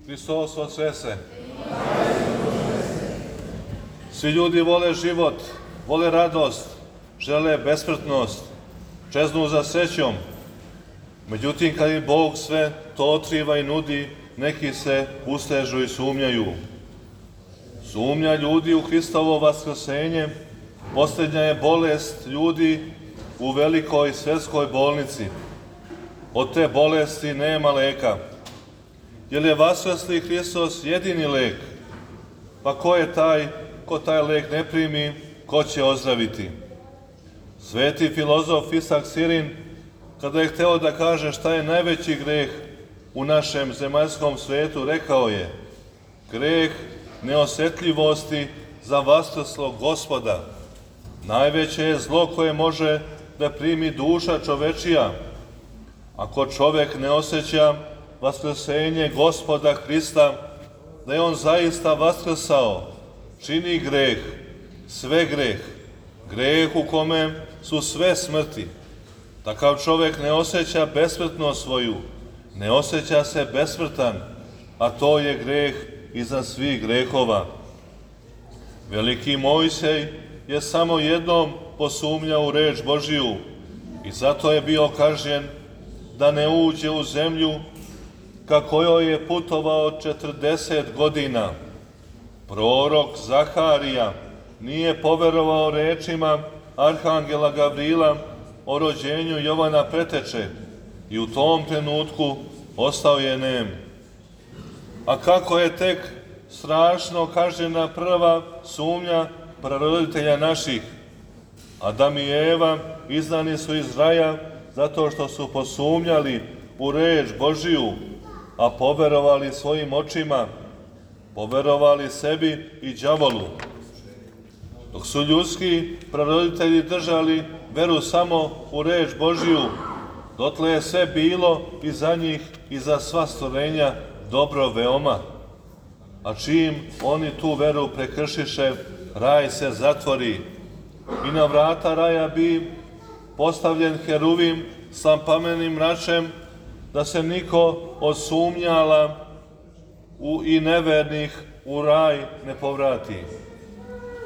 Hristos Voskrsese. Svi ljudi vole život, vole radost, žele besmrtnost, čeznu za srećom. Međutim, kad im Bog sve to otkriva i nudi, neki se ustežu i sumnjaju. Sumnja ljudi u Hristovo vaskrsenje posljednja je bolest ljudi u velikoj svjetskoj bolnici. Od te bolesti nema leka. Jer je vaskrsli Hristos jedini lek? Pa ko taj lek ne primi, ko će ozdraviti? Sveti filozof Isak Sirin, kada je hteo da kaže šta je najveći greh u našem zemaljskom svetu, rekao je: greh neosjetljivosti za vaskrslog Gospoda. Najveće je zlo koje može da primi duša čovečija. Ako čovek ne osjeća vaskrsenje Gospoda Hrista, da je on zaista vaskrsao, čini greh, sve greh u kome su sve smrti. Takav čovek ne osjeća besmrtnost svoju, ne osjeća se besmrtan, a to je greh iznad svih grehova. Veliki Mojsej je samo jednom posumnjao u reč Božiju i zato je bio kažnjen da ne uđe u zemlju ka kojoj je putovao 40 godina. Prorok Zaharija nije poverovao rečima arhangela Gavrila o rođenju Jovana Preteče i u tom trenutku ostao je nem. A kako je tek strašno kažnjena prva sumnja praroditelja naših. Adam i Eva iznani su iz raja zato što su posumnjali u reč Božiju, a poverovali svojim očima, poverovali sebi i đavolu. Dok su ljudski praroditelji držali veru samo u reč Božiju, dotle je sve bilo i za njih i za sva stvorenja dobro veoma. A čim oni tu veru prekršiše, raj se zatvori i na vrata raja bi postavljen heruvim sa plamenim mračem, da se niko od sumnjala i nevernih u raj ne povrati.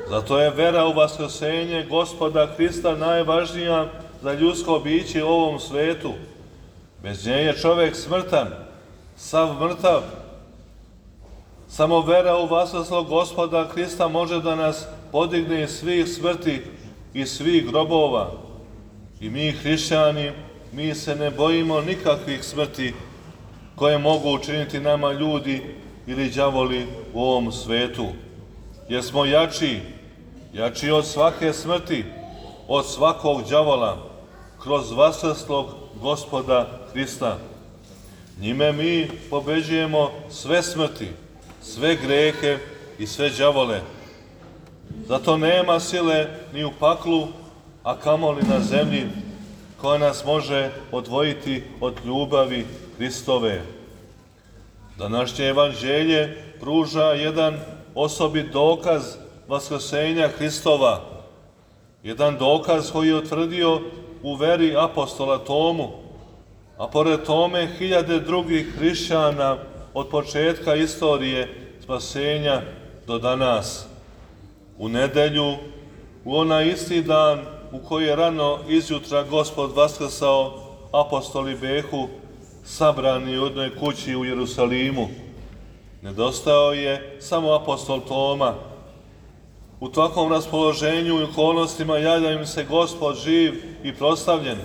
Zato je vera u vaskrsenje Gospoda Hrista najvažnija za ljudsko biće u ovom svetu. Bez nje je čovek smrtan, sav mrtav. Samo vera u vaskrslog Gospoda Hrista može da nas podigne iz svih smrti i svih grobova. I mi, hrišćani, mi se ne bojimo nikakvih smrti koje mogu učiniti nama ljudi ili đavoli u ovom svetu. Jer smo jači od svake smrti, od svakog đavola, kroz vaskrslog Gospoda Hrista. Njime mi pobeđujemo sve smrti, sve grehe i sve đavole. Zato nema sile ni u paklu, a kamoli na zemlji, koja nas može odvojiti od ljubavi Hristove. Današnje evanđelje pruža jedan osobit dokaz vaskrsenja Hristova, jedan dokaz koji je utvrdio u veri apostola Tomu, a pored tome hiljade drugih hrišćana od početka istorije spasenja do danas. U nedelju, u onaj isti dan u koji je rano izjutra Gospod vaskrsao, apostoli behu sabrani u jednoj kući u Jerusalimu. Nedostajao je samo apostol Toma. U takvom raspoloženju i okolnostima javlja im se Gospod živ i proslavljen.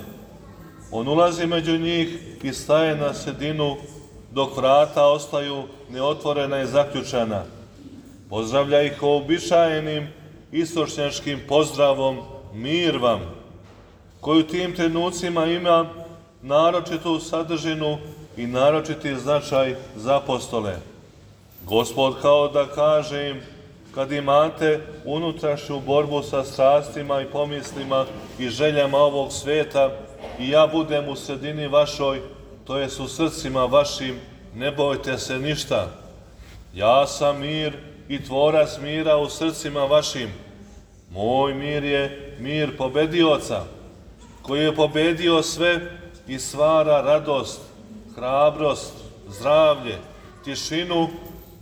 On ulazi među njih i staje na sredinu, dok vrata ostaju neotvorena i zaključana. Pozdravlja ih uobičajenim istočnjačkim pozdravom mir vam, koji u tim trenucima ima naročitu sadržinu i naročiti značaj za apostole. Gospod kao da kaže im: kad imate unutrašnju borbu sa strastima i pomislima i željama ovog sveta i ja budem u sredini vašoj, to jest u srcima vašim, ne bojte se ništa. Ja sam mir i tvorac mira u srcima vašim. Moj mir je mir pobedioca, koji je pobedio sve i stvara radost, hrabrost, zdravlje, tišinu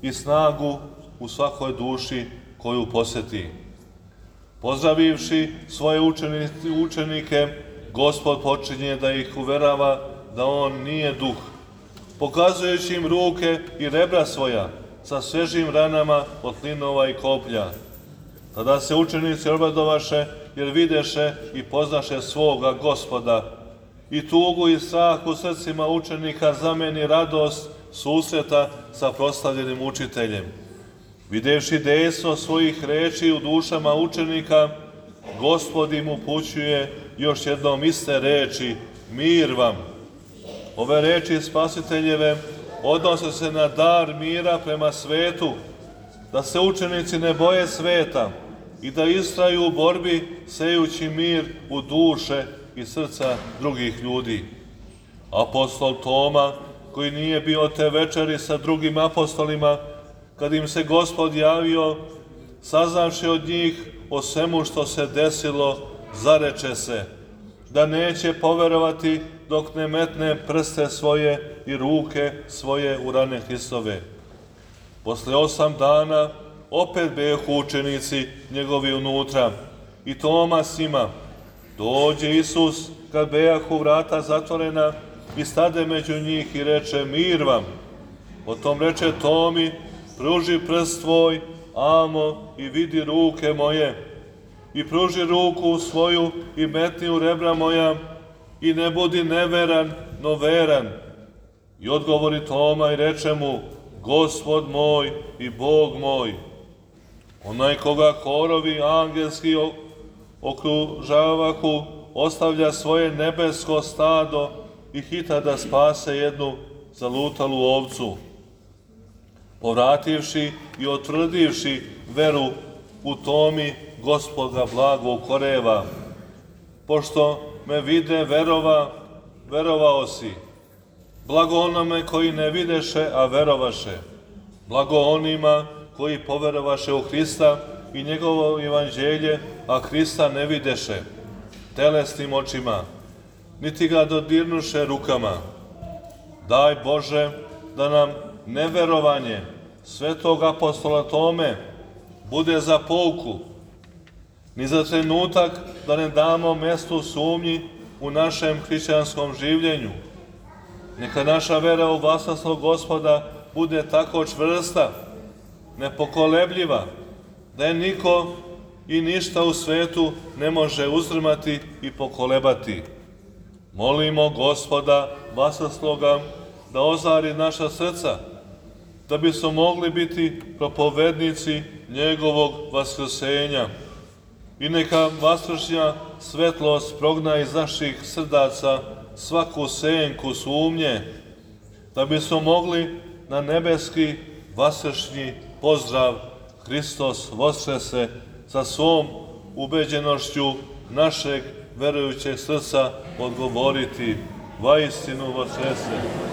i snagu u svakoj duši koju posjeti. Pozdravivši svoje učenike, Gospod počinje da ih uverava da on nije duh, pokazujući im ruke i rebra svoja sa svežim ranama od klinova i koplja. Tada se učenici obradovaše, jer videše i poznaše svoga Gospoda. I tugu i strah u srcima učenika zameni radost susreta sa proslavljenim učiteljem. Videvši dejstvo svojih reči u dušama učenika, Gospod im upućuje još jednom iste reči, mir vam. Ove reči Spasiteljeve odnose se na dar mira prema svetu, da se učenici ne boje sveta i da istraju u borbi sejući mir u duše i srca drugih ljudi. Apostol Toma, koji nije bio te večeri sa drugim apostolima, kad im se Gospod javio, saznavši od njih o svemu što se desilo, zareče se da neće poverovati dok ne metne prste svoje i ruke svoje u rane Hristove. Posle 8 dana opet behu učenici njegovi unutra i Toma s njima. Dođe Isus kad bejahu vrata zatvorena i stade među njih i reče, mir vam. Potom reče Tomi, pruži prst tvoj, amo, i vidi ruke moje, i pruži ruku svoju i metni u rebra moja, i ne budi neveran, no veran. I odgovori Toma i reče mu, Gospod moj i Bog moj. Onaj koga korovi angelski okružavahu, ostavlja svoje nebesko stado i hita da spase jednu zalutalu ovcu. Povrativši i otvrdivši veru u Tomi, Gospod ga blago ukoreva. Pošto me vide verovao si. Blago onome koji ne videše, a verovaše. Blago onima koji poverovaše u Hrista i njegovo evanđelje, a Hrista ne videše telesnim očima, niti ga dodirnuše rukama. Daj Bože da nam neverovanje svetog apostola Tome bude za pouku, ni za trenutak da ne damo mestu sumnji u našem hrišćanskom življenju. Neka naša vera u vasasnog Gospoda bude tako čvrsta, nepokolebljiva, da je niko i ništa u svetu ne može uzdrmati i pokolebati. Molimo Gospoda vasasnoga da ozari naša srca, da bismo mogli biti propovednici njegovog vaskrsenja. I neka vaskršnja svetlost progna iz naših srdaca svaku senku sumnje, da bismo mogli na nebeski vaskršnji pozdrav Hristos voskrese sa svom ubeđenošću našeg verujućeg srca odgovoriti, vaistinu voskrese.